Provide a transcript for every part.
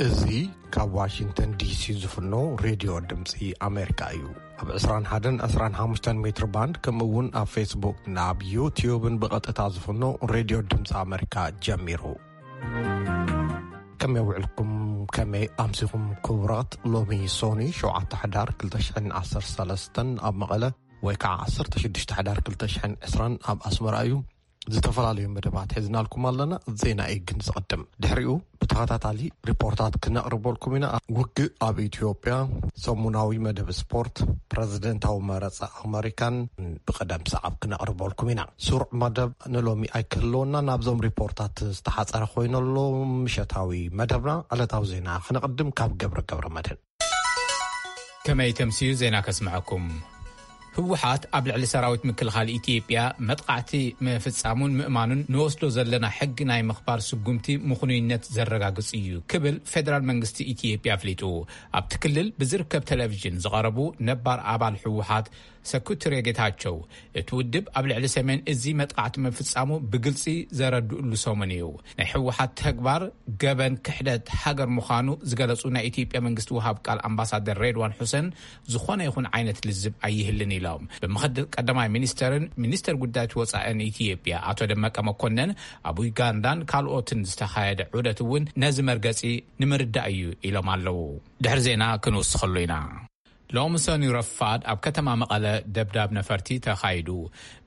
እዚ ካብ ዋሽንግተን ዲሲ ዝፍኖ ሬድዮ ድምፂ ኣሜሪካ እዩ። ኣብ ዕስራን ሓደን ዕስራን ሓሙሽተን ሜትር ባንድ፣ ከምኡ እውን ኣብ ፌስቡክ፣ ናብ ዩቲዩብን ብቐጥታ ዝፍኖ ሬድዮ ድምፂ ኣሜሪካ ጀሚሩ። ከመይ ውዕልኩም? ከመይ ኣምሲኹም ክቡራት? ሎሚ ሶኒ ሸውዓተ ሕዳር ክልተ ሽሕን ዓሰርተ ሰለስተን ኣብ መቐለ፣ ወይ ከዓ ዓሰርተ ሽዱሽተ ሕዳር ክልተ ሽሕን ዕስራን ኣብ ኣስመራ እዩ። ዝተፈላለዩ መደባት ሒዝናልኩም ኣለና። ዜና እዩ ግን ዝቐድም። ድሕሪኡ ብተኸታታሊ ሪፖርታት ክነቕርበልኩም ኢና። ውግእ ኣብ ኢትዮጵያ፣ ሰሙናዊ መደብ ስፖርት፣ ፕረዚደንታዊ መረጻ ኣመሪካን ብቕደም ሰዓብ ክነቕርበልኩም ኢና። ስሩዕ መደብ ንሎሚ ኣይክህልወና። ናብዞም ሪፖርታት ዝተሓጸረ ኮይነሎ ምሸታዊ መደብና ዕለታዊ ዜና ክነቕድም ካብ ገብረ ገብረ መድህን። ከመይ ተምስዩ ዜና ከስምዐኩም። ህወሓት ኣብ ልዕሊ ሰራዊት ምክልኻል ኢትዮጵያ መጥቃዕቲ ምፍጻሙን ምእማኑን ንወስዶ ዘለና ሕጊ ናይ ምኽባር ስጉምቲ ምኽኑይነት ዘረጋግጽ እዩ ክብል ፌደራል መንግስቲ ኢትዮጵያ ኣፍሊጡ። ኣብቲ ክልል ብዝርከብ ቴሌቪዥን ዝቐረቡ ነባር ኣባል ህወሓት ሰኩትሬ ጌታቸው፣ እቲ ውድብ ኣብ ልዕሊ ሰሜን እዚ መጥቃዕቲ ምፍጻሙ ብግልጺ ዘረድእሉ ሰሙን እዩ። ናይ ህወሓት ተግባር ገበን ክሕደት ሃገር ምዃኑ ዝገለጹ ናይ ኢትዮጵያ መንግስቲ ወሃብ ቃል ኣምባሳደር ሬድዋን ሑሰን፣ ዝኾነ ይኹን ዓይነት ልዝብ ኣይህልን ኢሎም። ብምኽትል ቀዳማይ ሚኒስተርን ሚኒስተር ጉዳያት ወጻእን ኢትዮጵያ ኣቶ ደመቀ መኮነን፣ ኣብ ዩጋንዳን ካልኦትን ዝተኻየደ ዑደት እውን ነዚ መርገጺ ንምርዳእ እዩ ኢሎም ኣለዉ። ድሕሪ ዜና ክንውስኸሉ ኢና። ሎም ሰኑይ ረፋድ ኣብ ከተማ መቐለ ደብዳብ ነፈርቲ ተኻይዱ።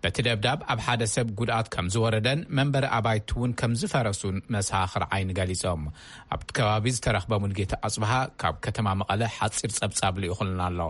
በቲ ደብዳብ ኣብ ሓደ ሰብ ጉድኣት ከም ዝወረደን መንበሪ ኣባይቲ እውን ከም ዝፈረሱን መሳኽር ዓይኒ ገሊጾም። ኣብቲ ከባቢ ዝተረኽበ ሙልጌታ ኣጽብሃ ካብ ከተማ መቐለ ሓጺር ጸብጻብ ልኢኹልና ኣሎ።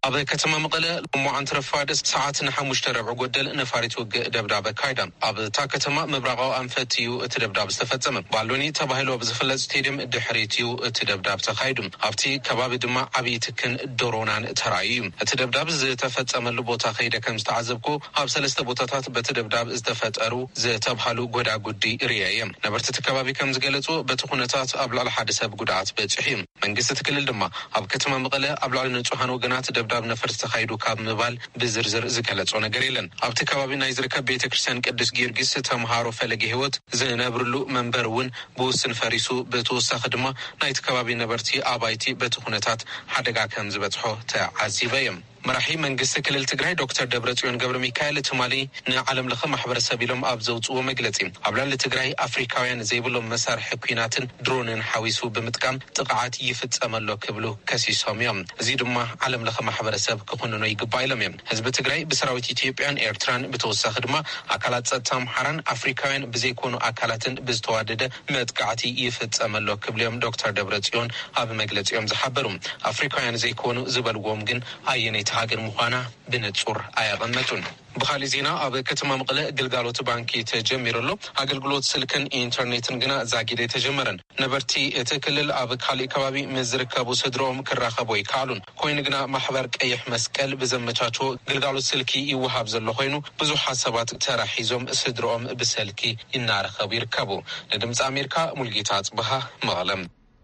ኣብ ከተማ መቐለ ሎማዓንቲ ረፋድ ሰዓት ንሓሙሽተ ረብዒ ጎደል ነፋሪት ውግእ ደብዳብ ኣካይዳ። ኣብታ ከተማ ምብራቓዊ ኣንፈት እዩ እቲ ደብዳብ ዝተፈጸመ። ባሎኒ ተባሂሉ ኣብ ዝፍለጥ ስቴድየም ድሕሪት እዩ እቲ ደብዳብ ተኻይዱ። ኣብቲ ከባቢ ድማ ዓብዪ ትክን ድሮናን ተራእዩ እዩ። እቲ ደብዳብ ዝተፈጸመሉ ቦታ ከይደ ከም ዝተዓዘብኩ፣ ኣብ ሰለስተ ቦታታት በቲ ደብዳብ ዝተፈጠሩ ዝተብሃሉ ጎዳጉዲ ርእየ እየ። ነበርቲ እቲ ከባቢ ከም ዝገለጹ፣ በቲ ኩነታት ኣብ ልዕሊ ሓደ ሰብ ጉድኣት በጺሑ እዩ። መንግስቲ እቲ ክልል ድማ ኣብ ከተማ መቐለ ኣብ ልዕሊ ንጹሃን ወገናት ደብዳብ ነፈርቲ ተኻይዱ ካብ ምባል ብዝርዝር ዝገለጾ ነገር የለን። ኣብቲ ከባቢ ናይ ዝርከብ ቤተ ክርስቲያን ቅዱስ ጊዮርጊስ ተምሃሮ ፈለገ ህይወት ዝነብርሉ መንበር እውን ብውስን ፈሪሱ፣ ብተወሳኺ ድማ ናይቲ ከባቢ ነበርቲ ኣባይቲ በቲ ኩነታት ሓደጋ ከም ዝበጽሖ ተዓዚበ እየ። መራሒ መንግስቲ ክልል ትግራይ ዶክተር ደብረጽዮን ገብረ ሚካኤል ትማሊ ንዓለም ለኸ ማሕበረሰብ ኢሎም ኣብ ዘውፅዎ መግለፂ፣ ኣብ ልዕሊ ትግራይ ኣፍሪካውያን ዘይብሎም መሳርሒ ኲናትን ድሮንን ሓዊሱ ብምጥቃም ጥቕዓት ይፍፀመሎ ክብሉ ከሲሶም እዮም። እዚ ድማ ዓለም ለኸ ማሕበረሰብ ክኹንኖ ይግባእ ኢሎም እዮም። ህዝቢ ትግራይ ብሰራዊት ኢትዮጵያን ኤርትራን፣ ብተወሳኺ ድማ ኣካላት ጸጥታ ኣምሓራን ኣፍሪካውያን ብዘይኮኑ ኣካላትን ብዝተዋደደ መጥቃዕቲ ይፍጸመሎ ክብሉ እዮም ዶክተር ደብረጽዮን ኣብ መግለጺኦም ዝሓበሩ። ኣፍሪካውያን ዘይኮኑ ዝበልዎም ግን ኣየነይቲ ሃገር ምዃና ብንጹር ኣየቐመጡን። ብኻሊእ ዜና፣ ኣብ ከተማ መቐለ ግልጋሎት ባንኪ ተጀሚሩ ኣሎ። ኣገልግሎት ስልክን ኢንተርኔትን ግና ዛጊድ ኣይተጀመረን። ነበርቲ እቲ ክልል ኣብ ካሊእ ከባቢ ምስ ዝርከቡ ስድሮኦም ክራኸቡ ኣይከኣሉን። ኮይኑ ግና፣ ማሕበር ቀይሕ መስቀል ብዘመቻችዎ ግልጋሎት ስልኪ ይወሃብ ዘሎ ኮይኑ፣ ብዙሓት ሰባት ተራ ሒዞም ስድሮኦም ብሰልኪ እናረኸቡ ይርከቡ። ንድምፂ ኣሜሪካ፣ ሙልጌታ ኣፅበሃ፣ መቐለም።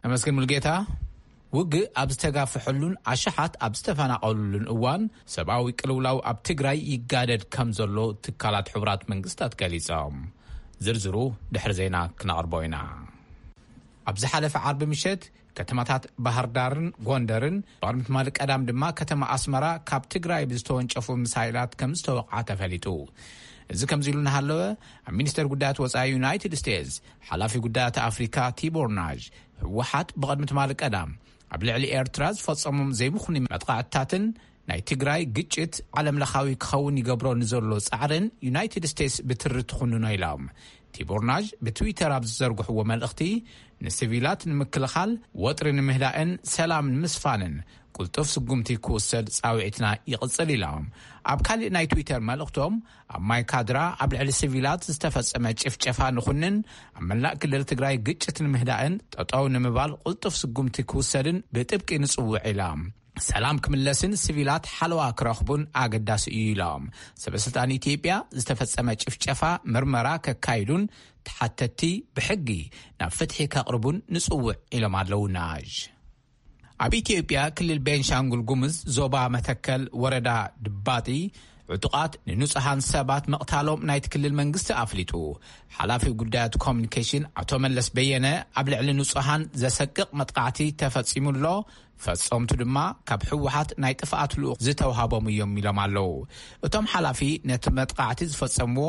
ኣመስግን ሙልጌታ። ውግእ ኣብ ዝተጋፍሐሉን ኣሽሓት ኣብ ዝተፈናቐሉሉን እዋን፣ ሰብኣዊ ቅልውላው ኣብ ትግራይ ይጋደድ ከም ዘሎ ትካላት ሕቡራት መንግስታት ገሊጾም። ዝርዝሩ ድሕሪ ዜና ክነቕርቦ ኢና። ኣብ ዝሓለፈ ዓርቢ ምሸት፣ ከተማታት ባህር ዳርን ጎንደርን፣ ብቕድሚ ትማሊ ቀዳም ድማ ከተማ ኣስመራ ካብ ትግራይ ብዝተወንጨፉ ሚሳይላት ከም ዝተወቕዓ ተፈሊጡ። እዚ ከምዚ ኢሉ እናሃለወ፣ ኣብ ሚኒስተር ጉዳያት ወጻኢ ዩናይትድ ስቴትስ ሓላፊ ጉዳያት ኣፍሪካ ቲቦር ናዥ፣ ህወሓት ብቕድሚ ትማሊ ቀዳም ኣብ ልዕሊ ኤርትራ ዝፈጸሞም ዘይምኽኑይ መጥቃዕትታትን ናይ ትግራይ ግጭት ዓለም ለኻዊ ክኸውን ይገብሮ ንዘሎ ጻዕርን ዩናይትድ ስቴትስ ብትሪ ትኹንኖ ኢሎም። ቲቦር ናዥ ብትዊተር ኣብ ዝዘርግሕዎ መልእኽቲ፣ ንሲቪላት ንምክልኻል፣ ወጥሪ ንምህዳእን ሰላም ንምስፋንን ቅልጡፍ ስጉምቲ ክውሰድ ጻውዒትና ይቕጽል ኢሎም። ኣብ ካልእ ናይ ትዊተር መልእኽቶም፣ ኣብ ማይ ካድራ ኣብ ልዕሊ ሲቪላት ዝተፈጸመ ጭፍጨፋ ንኹንን፣ ኣብ መላእ ክልል ትግራይ ግጭት ንምህዳእን ጠጠው ንምባል ቅልጡፍ ስጉምቲ ክውሰድን ብጥብቂ ንጽውዕ ኢሎም። ሰላም ክምለስን ሲቪላት ሓለዋ ክረኽቡን ኣገዳሲ እዩ ኢሎም። ሰበ ስልጣን ኢትዮጵያ ዝተፈጸመ ጭፍጨፋ ምርመራ ከካይዱን ተሓተቲ ብሕጊ ናብ ፍትሒ ከቕርቡን ንጽውዕ ኢሎም ኣለዉ ናዥ። ኣብ ኢትዮጵያ ክልል ቤንሻንጉል ጉሙዝ ዞባ መተከል ወረዳ ድባጢ ዕጡቓት ንንጹሃን ሰባት ምቕታሎም ናይቲ ክልል መንግስቲ ኣፍሊጡ። ሓላፊ ጉዳያት ኮሚኒኬሽን ኣቶ መለስ በየነ፣ ኣብ ልዕሊ ንጹሃን ዘሰቅቕ መጥቃዕቲ ተፈጺሙ ኣሎ፣ ፈጸምቱ ድማ ካብ ህወሓት ናይ ጥፍኣት ልኡኽ ዝተውሃቦም እዮም ኢሎም ኣለዉ። እቶም ሓላፊ ነቲ መጥቃዕቲ ዝፈጸምዎ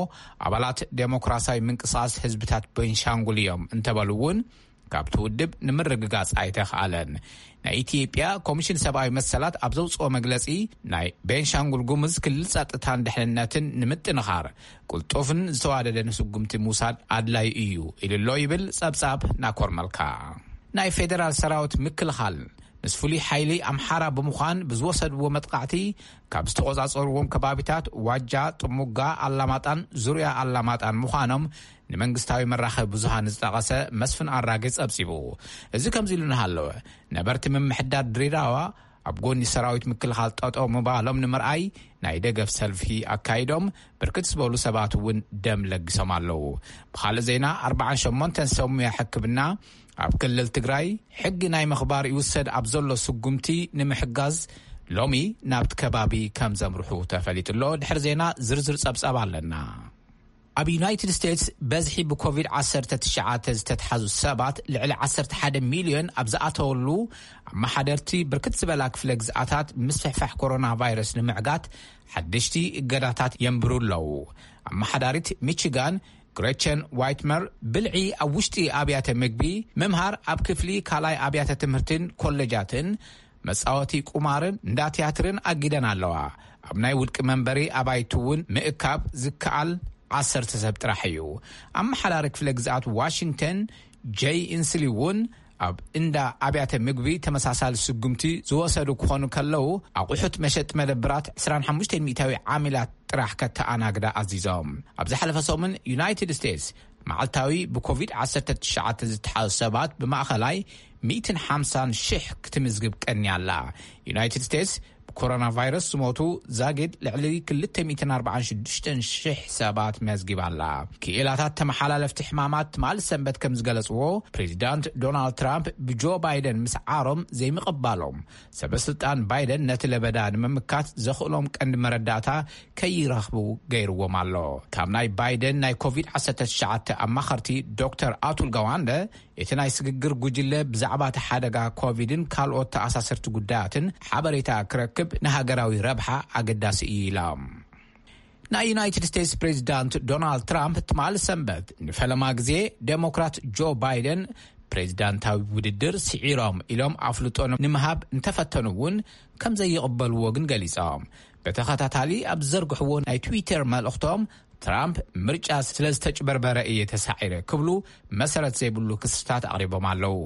ኣባላት ዴሞክራሲያዊ ምንቅስቓስ ህዝብታት ቤንሻንጉል እዮም እንተበሉ እውን፣ ካብቲ ውድብ ንምርግጋጽ ኣይተኽኣለን። ናይ ኢትዮጵያ ኮሚሽን ሰብኣዊ መሰላት ኣብ ዘውጽኦ መግለጺ፣ ናይ ቤንሻንጉል ጉሙዝ ክልል ጸጥታን ድሕንነትን ንምጥንኻር ቅልጡፍን ዝተዋደደን ስጉምቲ ምውሳድ ኣድላዩ እዩ ኢሉ ኣሎ ይብል ጸብጻብ ናኮር መልካ። ናይ ፌደራል ሰራዊት ምክልኻል ምስ ፍሉይ ሓይሊ ኣምሓራ ብምዃን ብዝወሰድዎ መጥቃዕቲ ካብ ዝተቖጻጸርዎም ከባቢታት ዋጃ፣ ጥሙጋ፣ ኣላማጣን ዙርያ ኣላማጣን ምዃኖም ንመንግስታዊ መራኸቢ ብዙሃን ዝጠቐሰ መስፍን ኣራጌ ጸብጺቡ። እዚ ከምዚ ኢሉ እናሃለወ፣ ነበርቲ ምምሕዳር ድሬዳዋ ኣብ ጎኒ ሰራዊት ምክልኻል ጠጠው ምባሎም ንምርኣይ ናይ ደገፍ ሰልፊ ኣካይዶም፣ ብርክት ዝበሉ ሰባት እውን ደም ለጊሶም ኣለዉ። ብኻልእ ዜና፣ ኣርባዓን ሸሞንተን ሰብ ሙያ ሕክምና ኣብ ክልል ትግራይ ሕጊ ናይ ምኽባር ይውሰድ ኣብ ዘሎ ስጉምቲ ንምሕጋዝ ሎሚ ናብቲ ከባቢ ከም ዘምርሑ ተፈሊጡ ኣሎ። ድሕሪ ዜና ዝርዝር ጸብጻብ ኣለና። ኣብ ዩናይትድ ስቴትስ በዝሒ ብኮቪድ ዓሰርተ ትሽዓተ ዝተትሓዙ ሰባት ልዕሊ ዓሰርተ ሓደ ሚልዮን ኣብ ዝኣተወሉ፣ ኣመሓደርቲ ብርክት ዝበላ ክፍለ ግዝኣታት ምስፍሕፋሕ ኮሮና ቫይረስ ንምዕጋት ሓደሽቲ እገዳታት የንብሩ ኣለዉ። ኣመሓዳሪት ሚቺጋን ግሬቸን ዋይትመር፣ ብልዒ ኣብ ውሽጢ ኣብያተ ምግቢ፣ ምምሃር ኣብ ክፍሊ ካልኣይ ኣብያተ ትምህርትን ኮሌጃትን፣ መጻወቲ ቁማርን እንዳ ትያትርን ኣጊደን ኣለዋ። ኣብ ናይ ውልቂ መንበሪ ኣባይቲ እውን ምእካብ ዝከኣል ዓሰርተ ሰብ ጥራሕ እዩ። ኣመሓዳሪ ክፍለ ግዝኣት ዋሽንግተን ጄይ ኢንስሊ እውን ኣብ እንዳ ኣብያተ ምግቢ ተመሳሳሊ ስጉምቲ ዝወሰዱ ክኾኑ ከለዉ፣ ኣቑሑት መሸጢ መደብራት ዕስራን ሓሙሽተን ሚእታዊ ዓሚላት ጥራሕ ከተኣናግዳ ኣዚዞም። ኣብ ዝሓለፈ ሰሙን ዩናይትድ ስቴትስ መዓልታዊ ብኮቪድ ዓሰርተ ትሽዓተ ዝተሓዙ ሰባት ብማእኸላይ ሚእትን ሓምሳን ሽሕ ክትምዝግብ ቀንያ ኣላ። ዩናይትድ ስቴትስ ብኮሮና ቫይረስ ዝሞቱ ዛጊድ ልዕሊ ክልተ ሚእትን ኣርባዓን ሽዱሽተን ሽሕ ሰባት መዝጊባ ኣላ። ክኢላታት ተመሓላለፍቲ ሕማማት ትማሊ ሰንበት ከም ዝገለጽዎ፣ ፕሬዚዳንት ዶናልድ ትራምፕ ብጆ ባይደን ምስዓሮም ዘይምቕባሎም፣ ሰበ ስልጣን ባይደን ነቲ ለበዳ ንምምካት ዘኽእሎም ቀንዲ መረዳእታ ከይረኽቡ ገይርዎም ኣሎ። ካብ ናይ ባይደን ናይ ኮቪድ ዓሰርተ ትሽዓተ ኣማኸርቲ ዶክተር ኣቱል ጋዋንደ፣ እቲ ናይ ስግግር ጉጅለ ብዛዕባ እቲ ሓደጋ ኮቪድን ካልኦት ተኣሳሰርቲ ጉዳያትን ሓበሬታ ክረክብ ንሃገራዊ ረብሓ ኣገዳሲ እዩ ኢሎም። ናይ ዩናይትድ ስቴትስ ፕሬዚዳንት ዶናልድ ትራምፕ ትማሊ ሰንበት ንፈለማ ግዜ ዴሞክራት ጆ ባይደን ፕሬዚዳንታዊ ውድድር ስዒሮም ኢሎም ኣፍልጦ ንምሃብ እንተፈተኑ እውን ከም ዘይቕበልዎ ግን ገሊጾም። ብተኸታታሊ ኣብ ዝዘርግሕዎ ናይ ትዊተር መልእኽቶም፣ ትራምፕ ምርጫ ስለ ዝተጭበርበረ እየ ተሳዒረ ክብሉ መሰረት ዘይብሉ ክስታት ኣቕሪቦም ኣለዉ።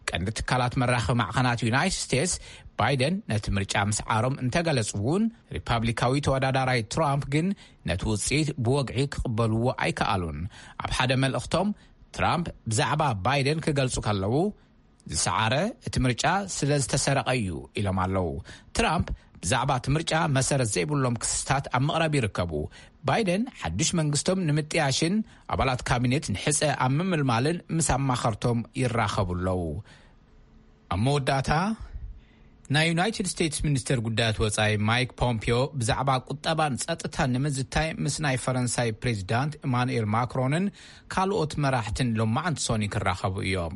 ቀንዲ ትካላት መራኸቢ ማዕኸናት ዩናይትድ ስቴትስ ባይደን ነቲ ምርጫ ምስዓሮም እንተገለጹ እውን፣ ሪፓብሊካዊ ተወዳዳራይ ትራምፕ ግን ነቲ ውጽኢት ብወግዒ ክቕበልዎ ኣይከኣሉን። ኣብ ሓደ መልእኽቶም፣ ትራምፕ ብዛዕባ ባይደን ክገልጹ ከለዉ፣ ዝሰዓረ እቲ ምርጫ ስለ ዝተሰረቐ እዩ ኢሎም ኣለዉ። ትራምፕ ብዛዕባ እቲ ምርጫ መሰረት ዘይብሎም ክስታት ኣብ ምቕራብ ይርከቡ። ባይደን ሓድሽ መንግስቶም ንምጥያሽን ኣባላት ካቢኔት ንሕጸ ኣብ ምምልማልን ምስ ኣማኸርቶም ይራኸቡ ኣለዉ። ኣብ መወዳእታ፣ ናይ ዩናይትድ ስቴትስ ሚኒስተር ጉዳያት ወጻኢ ማይክ ፖምፒዮ ብዛዕባ ቁጠባን ጸጥታን ንምዝታይ ምስ ናይ ፈረንሳይ ፕሬዚዳንት ኢማኑኤል ማክሮንን ካልኦት መራሕትን ሎማዓንቲ ሶኒ ክራኸቡ እዮም።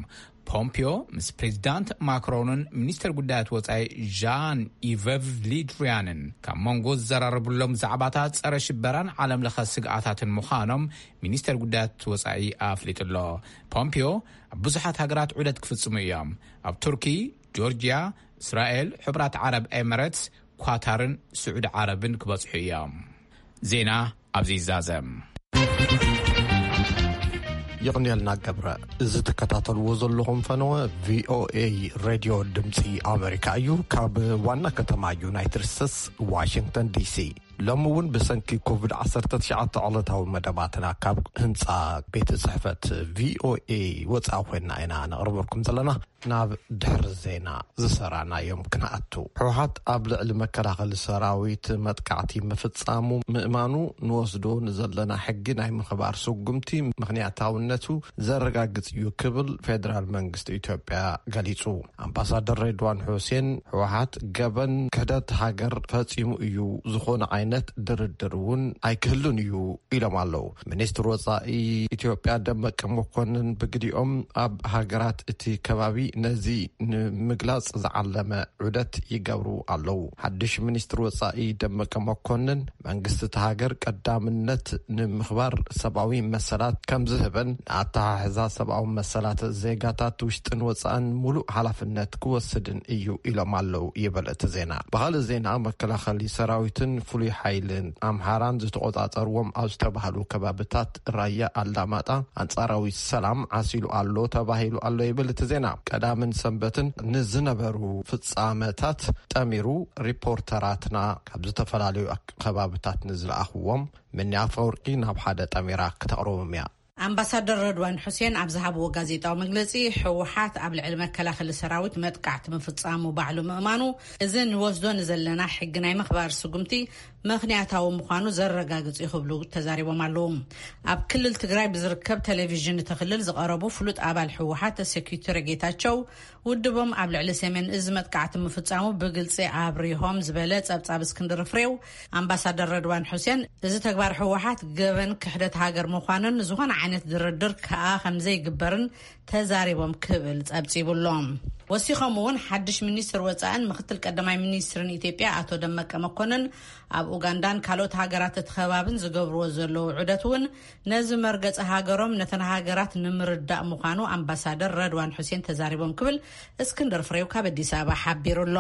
ፖምፒዮ ምስ ፕሬዚዳንት ማክሮንን ሚኒስተር ጉዳያት ወጻኢ ዣን ኢቨቭ ሊድሪያንን ካብ መንጎ ዝዘራረቡሎም ዛዕባታት ጸረ ሽበራን ዓለም ለኸ ስግኣታትን ምዃኖም ሚኒስተር ጉዳያት ወጻኢ ኣፍሊጡ ኣሎ። ፖምፒዮ ኣብ ብዙሓት ሃገራት ዑደት ክፍጽሙ እዮም። ኣብ ቱርኪ፣ ጆርጅያ፣ እስራኤል፣ ሕቡራት ዓረብ ኤምሬትስ፣ ኳታርን ስዑዲ ዓረብን ክበጽሑ እዮም። ዜና ኣብዚ ይዛዘም። ይቕንየልና ገብረ። እዚ ትከታተልዎ ዘለኹም ፈነወ ቪኦኤ ሬድዮ ድምፂ ኣሜሪካ እዩ። ካብ ዋና ከተማ ዩናይትድ ስቴትስ ዋሽንግተን ዲሲ። ሎሚ እውን ብሰንኪ ኮቪድ ዓሰርተ ትሽዓተ ዕለታዊ መደባትና ካብ ህንፃ ቤት ጽሕፈት ቪኦኤ ወፃኢ ኮይንና ኢና ነቕርበልኩም ዘለና። ናብ ድሕሪ ዜና ዝሰራናዮም ክንኣቱ። ህወሓት ኣብ ልዕሊ መከላኸሊ ሰራዊት መጥቃዕቲ ምፍጻሙ ምእማኑ ንወስዶ ንዘለና ሕጊ ናይ ምኽባር ስጉምቲ ምኽንያታውነቱ ዘረጋግጽ እዩ ክብል ፌደራል መንግስቲ ኢትዮጵያ ገሊጹ። ኣምባሳደር ሬድዋን ሑሴን ህወሓት ገበን ክሕደት ሃገር ፈጺሙ እዩ፣ ዝኾነ ነት ድርድር እውን ኣይክህሉን እዩ ኢሎም ኣለዉ። ሚኒስትር ወጻኢ ኢትዮጵያ ደመቀ መኮንን ብግዲኦም፣ ኣብ ሃገራት እቲ ከባቢ ነዚ ንምግላጽ ዝዓለመ ዑደት ይገብሩ ኣለዉ። ሓድሽ ሚኒስትር ወጻኢ ደመቀ መኮንን፣ መንግስቲ እቲ ሃገር ቀዳምነት ንምኽባር ሰብኣዊ መሰላት ከም ዝህብን፣ ንኣተሓሕዛ ሰብኣዊ መሰላት ዜጋታት ውሽጥን ወጻእን ሙሉእ ሓላፍነት ክወስድን እዩ ኢሎም ኣለዉ ይብል እቲ ዜና። ብኻልእ ዜና፣ መከላኸሊ ሰራዊትን ፍሉይ ሓይልን ኣምሓራን ዝተቆጻጸርዎም ኣብ ዝተባህሉ ከባብታት ራያ ኣላማጣ፣ ኣንጻራዊ ሰላም ዓሲሉ ኣሎ ተባሂሉ ኣሎ ይብል እቲ ዜና። ቀዳምን ሰንበትን ንዝነበሩ ፍጻመታት ጠሚሩ፣ ሪፖርተራትና ካብ ዝተፈላለዩ ኣክ-፣ ከባብታት ንዝለኣኽዎም፣ ምኒ ኣፈወርቂ ናብ ሓደ ጠሚራ ክተቕርቦም እያ። ኣምባሳደር ረድዋን ሑሴን ኣብ ዝሃብዎ ጋዜጣዊ መግለጺ፣ ህወሓት ኣብ ልዕሊ መከላኸሊ ሰራዊት መጥቃዕቲ ምፍጻሙ ባዕሉ ምእማኑ፣ እዚ ንወስዶ ንዘለና ሕጊ ናይ ምኽባር ስጉምቲ ምኽንያታዊ ምዃኑ ዘረጋግጽ እዩ ክብሉ ተዛሪቦም ኣለዉ። ኣብ ክልል ትግራይ ብዝርከብ ቴሌቪዥን እቲ ክልል ዝቐረቡ ፍሉጥ ኣባል ህወሓት ሴኩሪቲ ጌታቸው፣ ውድቦም ኣብ ልዕሊ ሰሜን እዚ መጥቃዕቲ ምፍጻሙ ብግልጺ ኣብሪሆም ዝበለ ጸብጻብ እስክንድር ፍሬው፣ ኣምባሳደር ረድዋን ሑሴን፣ እዚ ተግባር ህወሓት ገበን ክሕደት ሃገር ምዃኑን ዝኾነ ዓይነት ድርድር ከኣ ከም ዘይግበርን ተዛሪቦም ክብል ጸብጺቡ ኣሎ። ወሲኾም እውን ሓድሽ ሚኒስትር ወጻእን ምክትል ቀዳማይ ሚኒስትርን ኢትዮጵያ ኣቶ ደመቀ መኮንን ኣብ ኡጋንዳን ካልኦት ሃገራት እቲ ከባብን ዝገብርዎ ዘለዉ ዑደት እውን ነዚ መርገጺ ሃገሮም ነተን ሃገራት ንምርዳእ ምዃኑ ኣምባሳደር ረድዋን ሑሴን ተዛሪቦም ክብል እስክንድር ፍሬው ካብ ኣዲስ ኣበባ ሓቢሩ ኣሎ።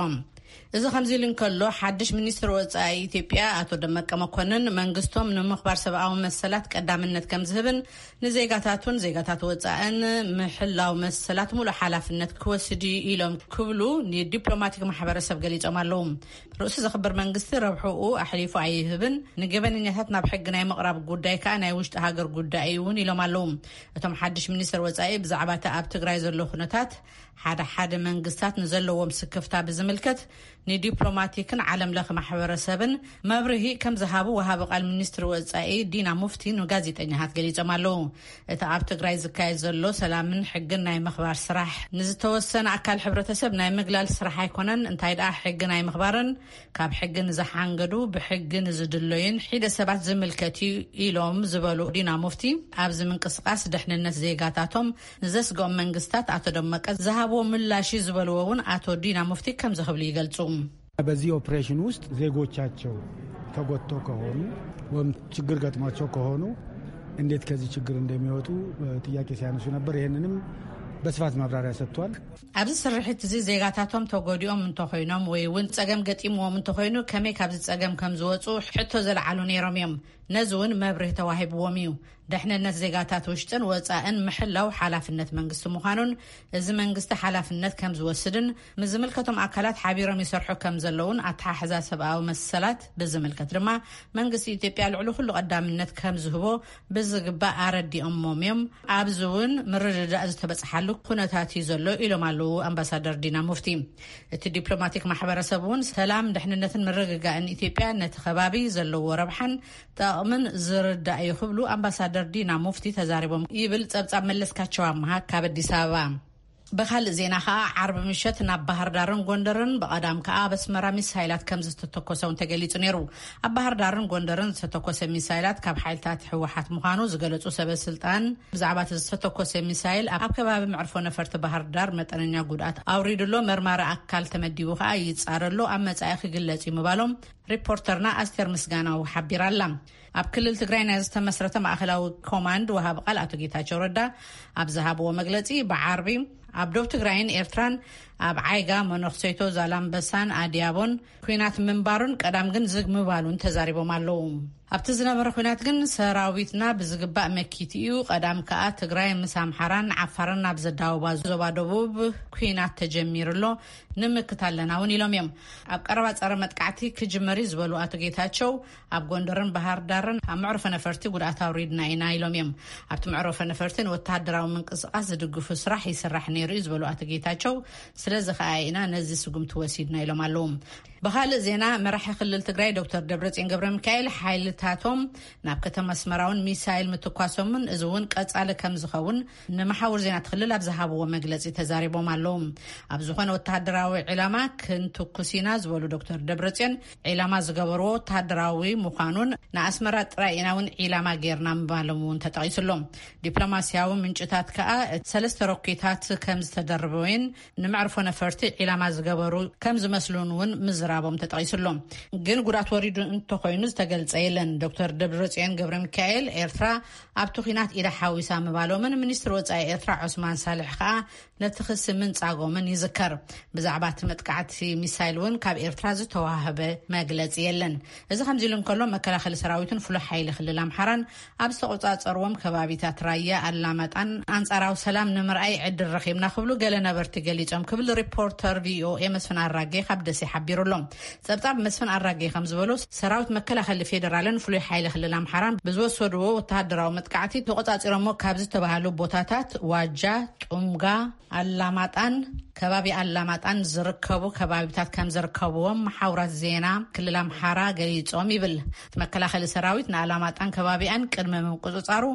እዚ ከምዚ ኢሉ እንከሎ፣ ሓድሽ ሚኒስትር ወጻኢ ኢትዮጵያ ኣቶ ደመቀ መኮንን፣ መንግስቶም ንምኽባር ሰብኣዊ መሰላት ቀዳምነት ከም ዝህብን ንዜጋታቱን ዜጋታት ወጻእን ምሕላው መሰላት ሙሉእ ሓላፍነት ክወስድ እዩ ኢሎም ክብሉ ንዲፕሎማቲክ ማሕበረሰብ ገሊጾም ኣለዉ። ርእሱ ዘኽብር መንግስቲ ረብሕኡ ኣሕሊፉ ኣይህብን፣ ንገበነኛታት ናብ ሕጊ ናይ ምቕራብ ጉዳይ ከኣ ናይ ውሽጢ ሃገር ጉዳይ እዩ እውን ኢሎም ኣለዉ። እቶም ሓድሽ ሚኒስትር ወጻኢ ብዛዕባ እቲ ኣብ ትግራይ ዘሎ ኩነታት ሓደ ሓደ መንግስታት ንዘለዎም ስክፍታ ብዝምልከት ንዲፕሎማቲክን ዓለም ለኸ ማሕበረሰብን መብርሂ ከም ዝሃቡ ወሃቢ ቃል ሚኒስትሪ ወጻኢ ዲና ሙፍቲ ንጋዜጠኛታት ገሊጾም ኣለዉ። እቲ ኣብ ትግራይ ዝካየድ ዘሎ ሰላምን ሕግን ናይ ምኽባር ስራሕ ንዝተወሰነ ኣካል ሕብረተሰብ ናይ ምግላል ስራሕ ኣይኮነን፣ እንታይ ደኣ ሕጊ ናይ ምኽባርን ካብ ሕጊ ንዝሓንገዱ ብሕጊ ንዝድለዩን ሒደ ሰባት ዝምልከት እዩ ኢሎም ዝበሉ ዲና ሙፍቲ፣ ኣብዚ ምንቅስቃስ ደሕንነት ዜጋታቶም ንዘስግኦም መንግስታት ኣቶ ደመቀ ዝሃብዎ ምላሽ እዩ ዝበልዎ እውን ኣቶ ዲና ሙፍቲ ከምዚ ክብሉ ይገልጹ። በዚህ ኦፕሬሽን ውስጥ ዜጎቻቸው ተጎድተው ከሆኑ ወይም ችግር ገጥሟቸው ከሆኑ እንዴት ከዚህ ችግር እንደሚወጡ ጥያቄ ሲያነሱ ነበር። ይህንንም በስፋት ማብራሪያ ሰጥቷል። ኣብዚ ስርሒት እዚ ዜጋታቶም ተጎዲኦም እንተኾይኖም ወይ እውን ጸገም ገጢምዎም እንተኾይኑ ከመይ ካብዚ ጸገም ከም ዝወጹ ሕቶ ዘልዓሉ ነይሮም እዮም። ነዚ እውን መብርሂ ተዋሂብዎም እዩ። ደሕንነት ዜጋታት ውሽጥን ወጻእን ምሕላው ሓላፍነት መንግስቲ ምዃኑን እዚ መንግስቲ ሓላፍነት ከም ዝወስድን ምስ ዝምልከቶም ኣካላት ሓቢሮም ይሰርሑ ከም ዘለውን ኣተሓሕዛ ሰብኣዊ መሰላት ብዝምልከት ድማ መንግስቲ ኢትዮጵያ ልዕሊ ኩሉ ቀዳምነት ከም ዝህቦ ብዝግባእ ኣረዲኦሞም እዮም። ኣብዚ እውን ምርድዳእ ዝተበጽሓሉ ኩነታት እዩ ዘሎ ኢሎም ኣለዉ ኣምባሳደር ዲና ሙፍቲ። እቲ ዲፕሎማቲክ ማሕበረሰብ እውን ሰላም፣ ድሕንነትን ምርግጋእን ኢትዮጵያ ነቲ ከባቢ ዘለዎ ረብሓን ጠቕምን ዝርዳእ እዩ ክብሉ ኣምባሳደር ዲና ሙፍቲ ተዛሪቦም ይብል ጸብጻብ መለስካቸው ኣምሃ ካብ ኣዲስ ኣበባ። ብኻልእ ዜና ኸኣ ዓርቢ ምሸት ናብ ባህር ዳርን ጎንደርን ብቐዳም ከኣ ኣብ ኣስመራ ሚሳይላት ከም ዝተተኮሰ እውን ተገሊጹ ነይሩ። ኣብ ባህር ዳርን ጎንደርን ዝተተኮሰ ሚሳይላት ካብ ሓይልታት ህወሓት ምዃኑ ዝገለጹ ሰበ ስልጣን ብዛዕባ እቲ ዝተተኮሰ ሚሳይል ኣብ ከባቢ መዕርፎ ነፈርቲ ባህር ዳር መጠነኛ ጉድኣት ኣውሪዱሎ፣ መርማሪ ኣካል ተመዲቡ ከኣ ይጻረሎ፣ ኣብ መጻኢ ክግለጽ እዩ ምባሎም ሪፖርተርና ኣስቴር ምስጋናው ሓቢራ ኣላ። ኣብ ክልል ትግራይ ናይ ዝተመስረተ ማእኸላዊ ኮማንድ ወሃቢ ቃል ኣቶ ጌታቸው ረዳ ኣብ ዝሃብዎ መግለጺ ብዓርቢ ኣብ ዶብ ትግራይን ኤርትራን ኣብ ዓይጋ፣ መነኽሰይቶ፣ ዛላምበሳን ኣድያቦን ኲናት ምንባሩን ቀዳም ግን ዝግ ምባሉን ተዛሪቦም ኣለዉ። ኣብቲ ዝነበረ ኲናት ግን ሰራዊትና ብዝግባእ መኪቱ እዩ። ቀዳም ከኣ ትግራይ ምስ ኣምሓራን ዓፋርን ኣብ ዘዳወባ ዞባ ደቡብ ኲናት ተጀሚሩ ኣሎ፣ ንምክት ኣለና እውን ኢሎም እዮም። ኣብ ቀረባ ጸረ መጥቃዕቲ ክጅመር እዩ ዝበሉ ኣቶ ጌታቸው፣ ኣብ ጎንደርን ባህር ዳርን ኣብ መዕርፎ ነፈርቲ ጉድኣት ኣውሪድና ኢና ኢሎም እዮም። ኣብቲ መዕርፎ ነፈርቲ ንወተሃደራዊ ምንቅስቃስ ዝድግፉ ስራሕ ይስራሕ ነይሩ እዩ ዝበሉ ኣቶ ጌታቸው፣ ስለዚ ከኣ ኢና ነዚ ስጉምቲ ወሲድና ኢሎም ኣለዉ። ብኻልእ ዜና፣ መራሒ ክልል ትግራይ ዶክተር ደብረጽዮን ገብረ ሚካኤል ሓይልታቶም ናብ ከተማ ኣስመራ እውን ሚሳይል ምትኳሶምን፣ እዚ እውን ቀጻሊ ከም ዝኸውን ንመሓውር ዜና እቲ ክልል ኣብ ዝሃብዎ መግለጺ ተዛሪቦም ኣለዉ። ኣብ ዝኾነ ወተሃደራዊ ዒላማ ክንትኩስ ኢና ዝበሉ ዶክተር ደብረጽዮን፣ ዒላማ ዝገበርዎ ወተሃደራዊ ምዃኑን ንኣስመራ ጥራይ ኢና እውን ዒላማ ጌርና ምባሎም እውን ተጠቒሱ ኣሎ። ዲፕሎማስያዊ ምንጭታት ከኣ ሰለስተ ሮኬታት ከም ዝተደርበወን ንመዕርፎ ነፈርቲ ዒላማ ዝገበሩ ከም ዝመስሉን እውን ምዝራቦም ተጠቒሱ ኣሎ። ግን ጉድኣት ወሪዱ እንተኾይኑ ዝተገልጸ የለን። ዶክተር ደብረጽዮን ገብረ ሚካኤል ኤርትራ ኣብቲ ኲናት ኢዳ ሓዊሳ ምባሎምን ሚኒስትሪ ወጻኢ ኤርትራ ዑስማን ሳልሕ ከኣ ነቲ ክሲ ምንጻጎምን ይዝከር። ብዛዕባ እቲ መጥቃዕቲ ሚሳይል እውን ካብ ኤርትራ ዝተዋህበ መግለጺ የለን። እዚ ከምዚ ኢሉ እንከሎ፣ መከላኸሊ ሰራዊትን ፍሉይ ሓይሊ ክልል ኣምሓራን ኣብ ዝተቆጻጸርዎም ከባቢታት ራያ ኣላማጣን ኣንጻራዊ ሰላም ንምርኣይ ዕድል ረኺብና ክብሉ ገለ ነበርቲ ገሊጾም ክብል ሪፖርተር ቪኦኤ መስፍን ኣራጌ ካብ ደሴ ሓቢሩ ኣሎ። ጸብጻብ መስፍን ኣራጌ ከም ዝበሎ፣ ሰራዊት መከላኸሊ ፌዴራልን ፍሉይ ሓይሊ ክልል ኣምሓራን ብዝወሰድዎ ወተሃደራዊ መጥቃዕቲ ተቆጻጺሮሞ ካብ ዝተባሃሉ ቦታታት ዋጃ፣ ጡምጋ፣ ኣላማጣን ከባቢ ኣላማጣን ዝርከቡ ከባቢታት ከም ዝርከብዎም መሓውራት ዜና ክልል ኣምሓራ ገሊጾም ይብል። እቲ መከላኸሊ ሰራዊት ንኣላማጣን ከባቢኣን ቅድሚ ምቁጽጻሩ፣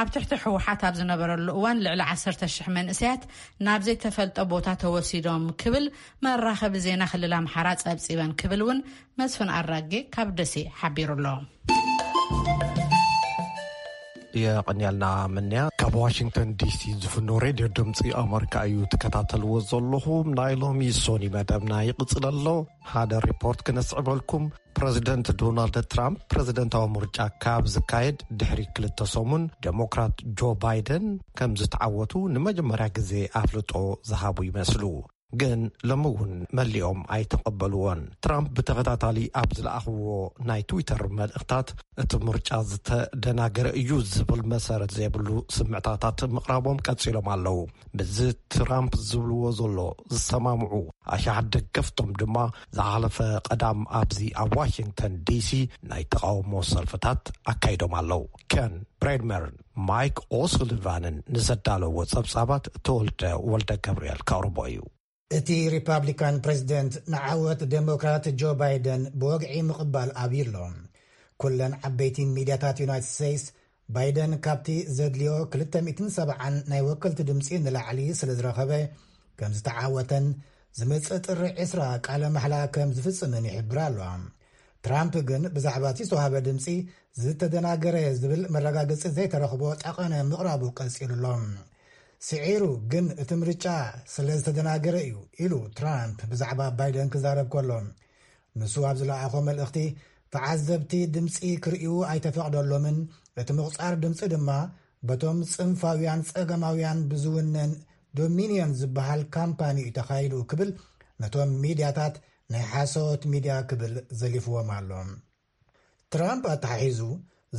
ኣብ ትሕቲ ህወሓት ኣብ ዝነበረሉ እዋን ልዕሊ ዓሰርተ ሽሕ መንእሰያት ናብ ዘይተፈልጠ ቦታ ተወሲዶም ክብል መራኸቢ ዜና ክልል ኣምሓራ ጸብጺበን ክብል እውን መስፍን ኣራጌ ካብ ደሴ ሓቢሩ ኣሎ። የቐንያልና ምንያ። ካብ ዋሽንግተን ዲሲ ዝፍኖ ሬድዮ ድምፂ ኣመሪካ እዩ ትከታተልዎ ዘለኹም። ናይ ሎሚ ሶኒ መደብና ይቕፅል ኣሎ። ሓደ ሪፖርት ክነስዕበልኩም። ፕረዚደንት ዶናልድ ትራምፕ ፕረዚደንታዊ ምርጫ ካብ ዝካየድ ድሕሪ ክልተ ሰሙን፣ ዴሞክራት ጆ ባይደን ከም ዝተዓወቱ ንመጀመርያ ግዜ ኣፍልጦ ዝሃቡ ይመስሉ። ግን ሎሚ እውን መሊኦም ኣይተቐበልዎን። ትራምፕ ብተኸታታሊ ኣብ ዝለኣኽዎ ናይ ትዊተር መልእኽታት፣ እቲ ምርጫ ዝተደናገረ እዩ ዝብል መሰረት ዘይብሉ ስምዕታታት ምቕራቦም ቀጺሎም ኣለዉ። ምስዚ ትራምፕ ዝብልዎ ዘሎ ዝሰማምዑ ኣሽሓት ደገፍቶም ድማ ዝሓለፈ ቀዳም ኣብዚ ኣብ ዋሽንግተን ዲሲ ናይ ተቓውሞ ሰልፍታት ኣካይዶም ኣለዉ። ኬን ብሬድመርን ማይክ ኦሱሊቫንን ንዘዳለዎ ጸብጻባት ተወልደ ወልደ ገብርኤል ከቕርቦ እዩ። እቲ ሪፓብሊካን ፕሬዚደንት ንዓወት ዴሞክራት ጆ ባይደን ብወግዒ ምቕባል ኣብዩ ኣሎ። ኩለን ዓበይቲ ሚድያታት ዩናይትድ ስቴትስ፣ ባይደን ካብቲ ዘድልዮ ክልተ ሚእትን ሰብዓን ናይ ወከልቲ ድምፂ ንላዕሊ ስለ ዝረኸበ ከም ዝተዓወተን ዝመፅእ ጥሪ ዕስራ ቃለ ማሕላ ከም ዝፍፅምን ይሕብራ ኣለዋ። ትራምፕ ግን ብዛዕባ እቲ ዝተዋህበ ድምፂ ዝተደናገረ ዝብል መረጋገፂ ዘይተረኽቦ ጠቐነ ምቕራቡ ቀፂሉ ኣሎ። ስዒሩ ግን እቲ ምርጫ ስለ ዝተደናገረ እዩ ኢሉ ትራምፕ ብዛዕባ ባይደን ክዛረብ ከሎ፣ ንሱ ኣብ ዝለኣኾ መልእኽቲ፣ ተዓዘብቲ ድምፂ ክርእዩ ኣይተፈቕደሎምን፣ እቲ ምቑፃር ድምፂ ድማ በቶም ፅንፋውያን ፀገማውያን ብዝውነን ዶሚንዮን ዝበሃል ካምፓኒ እዩ ተኻይዱ ክብል ነቶም ሚድያታት ናይ ሓሶት ሚድያ ክብል ዘሊፍዎም ኣሎ። ትራምፕ ኣተሓሒዙ፣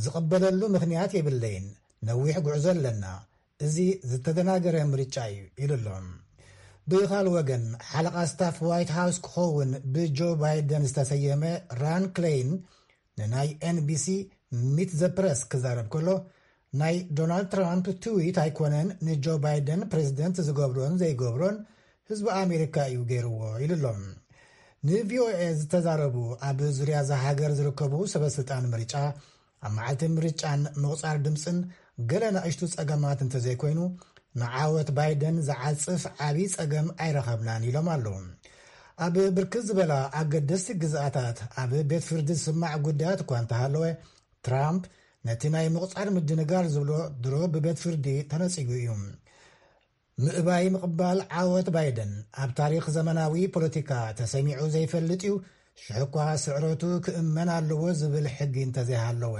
ዝቕበለሉ ምኽንያት የብለይን፣ ነዊሕ ጉዕዞ ኣለና፣ እዚ ዝተደናገረ ምርጫ እዩ ኢሉ ኣሎ። ብኻልእ ወገን፣ ሓለቓ ስታፍ ዋይት ሃውስ ክኸውን ብጆ ባይደን ዝተሰየመ ራን ክሌይን ንናይ ኤንቢሲ ሚት ዘ ፕረስ ክዛረብ ከሎ፣ ናይ ዶናልድ ትራምፕ ትዊት ኣይኮነን ንጆ ባይደን ፕሬዚደንት ዝገብሮን ዘይገብሮን ህዝቢ ኣሜሪካ እዩ ገይርዎ ኢሉ ኣሎ። ንቪኦኤ ዝተዛረቡ ኣብ ዙርያ እዛ ሃገር ዝርከቡ ሰበስልጣን ምርጫ፣ ኣብ መዓልቲ ምርጫን ምቑፃር ድምፅን ገለ ንኣሽቱ ፀገማት እንተዘይኮይኑ፣ ንዓወት ባይደን ዝዓፅፍ ዓብዪ ፀገም ኣይረኸብናን ኢሎም ኣለዉ። ኣብ ብርክት ዝበላ ኣገደስቲ ግዝኣታት ኣብ ቤት ፍርዲ ዝስማዕ ጉዳያት እኳ እንተሃለወ፣ ትራምፕ ነቲ ናይ ምቑፃር ምድንጋር ዝብሎ ድሮ ብቤት ፍርዲ ተነፂጉ እዩ። ምእባይ ምቕባል ዓወት ባይደን ኣብ ታሪኽ ዘመናዊ ፖለቲካ ተሰሚዑ ዘይፈልጥ እዩ፣ ሽሕኳ ስዕረቱ ክእመን ኣለዎ ዝብል ሕጊ እንተዘይሃለወ።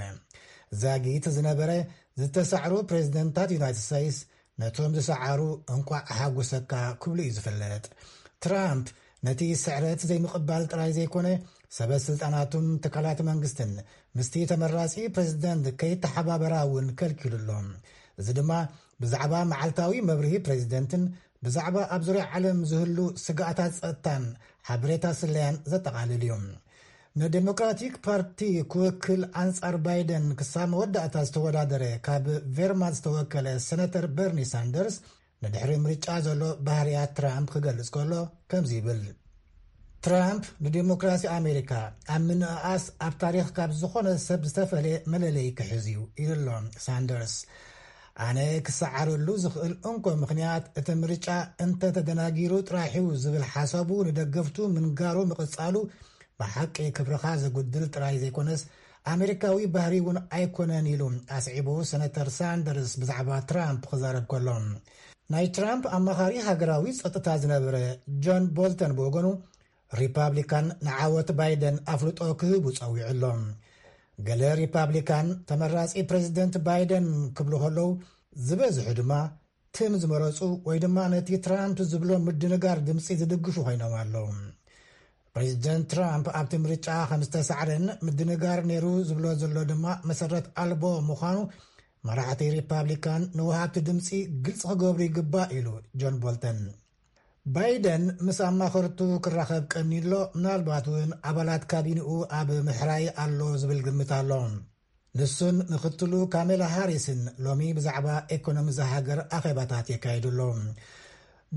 ዛጊት ዝነበረ ዝተሳዕሩ ፕሬዚደንታት ዩናይትድ ስቴትስ ነቶም ዝሰዓሩ እንቋዕ ሓጎሰካ ክብሉ እዩ ዝፍለጥ። ትራምፕ ነቲ ስዕረት ዘይምቕባል ጥራይ ዘይኮነ፣ ሰበ ስልጣናቱን ትካላት መንግስትን ምስቲ ተመራጺ ፕሬዚደንት ከይተሓባበራ እውን ከልኪሉ ኣሎ። እዚ ድማ ብዛዕባ መዓልታዊ መብርሂ ፕሬዚደንትን ብዛዕባ ኣብ ዙርያ ዓለም ዝህሉ ስጋኣታት ጸጥታን ሓበሬታ ስለያን ዘጠቓልል እዩ። ንዴሞክራቲክ ፓርቲ ክውክል ኣንጻር ባይደን ክሳብ መወዳእታ ዝተወዳደረ ካብ ቬርማንት ዝተወከለ ሰነተር በርኒ ሳንደርስ ንድሕሪ ምርጫ ዘሎ ባህርያት ትራምፕ ክገልጽ ከሎ ከምዚ ይብል። ትራምፕ ንዲሞክራሲ ኣሜሪካ ኣብ ምንእኣስ ኣብ ታሪኽ ካብ ዝኾነ ሰብ ዝተፈለየ መለለይ ክሕዝ እዩ ኢሉ ኣሎ ሳንደርስ። ኣነ ክሰዓረሉ ዝኽእል እንኮ ምኽንያት እቲ ምርጫ እንተተደናጊሩ ጥራሕዩ ዝብል ሓሳቡ ንደገፍቱ ምንጋሩ ምቕጻሉ ብሓቂ ክብርኻ ዘጉድል ጥራይ ዘይኮነስ ኣሜሪካዊ ባህሪ እውን ኣይኮነን ኢሉ ኣስዒቡ ሰነተር ሳንደርስ ብዛዕባ ትራምፕ ክዛረብ ከሎ። ናይ ትራምፕ ኣማኻሪ ሃገራዊ ጸጥታ ዝነበረ ጆን ቦልተን ብወገኑ ሪፓብሊካን ንዓወት ባይደን ኣፍልጦ ክህቡ ጸዊዑ ኣሎ። ገለ ሪፓብሊካን ተመራጺ ፕሬዚደንት ባይደን ክብሉ ከለዉ ዝበዝሑ ድማ ትም ዝመረጹ ወይ ድማ ነቲ ትራምፕ ዝብሎ ምድንጋር ድምፂ ዝድግፉ ኮይኖም ኣለዉ። ፕሬዚደንት ትራምፕ ኣብቲ ምርጫ ከም ዝተሳዕረን ምድንጋር ነይሩ ዝብሎ ዘሎ ድማ መሰረት ኣልቦ ምዃኑ መራሕቲ ሪፓብሊካን ንውሃብቲ ድምፂ ግልፂ ክገብሩ ይግባእ ኢሉ ጆን ቦልተን። ባይደን ምስ ኣማኸርቱ ክራኸብ ቀኒሎ፣ ምናልባት እውን ኣባላት ካቢንኡ ኣብ ምሕራይ ኣሎ ዝብል ግምት ኣሎ። ንሱን ምክትሉ ካሜላ ሃሪስን ሎሚ ብዛዕባ ኤኮኖሚ እዛ ሃገር ኣኼባታት የካይዱ ኣለዉ።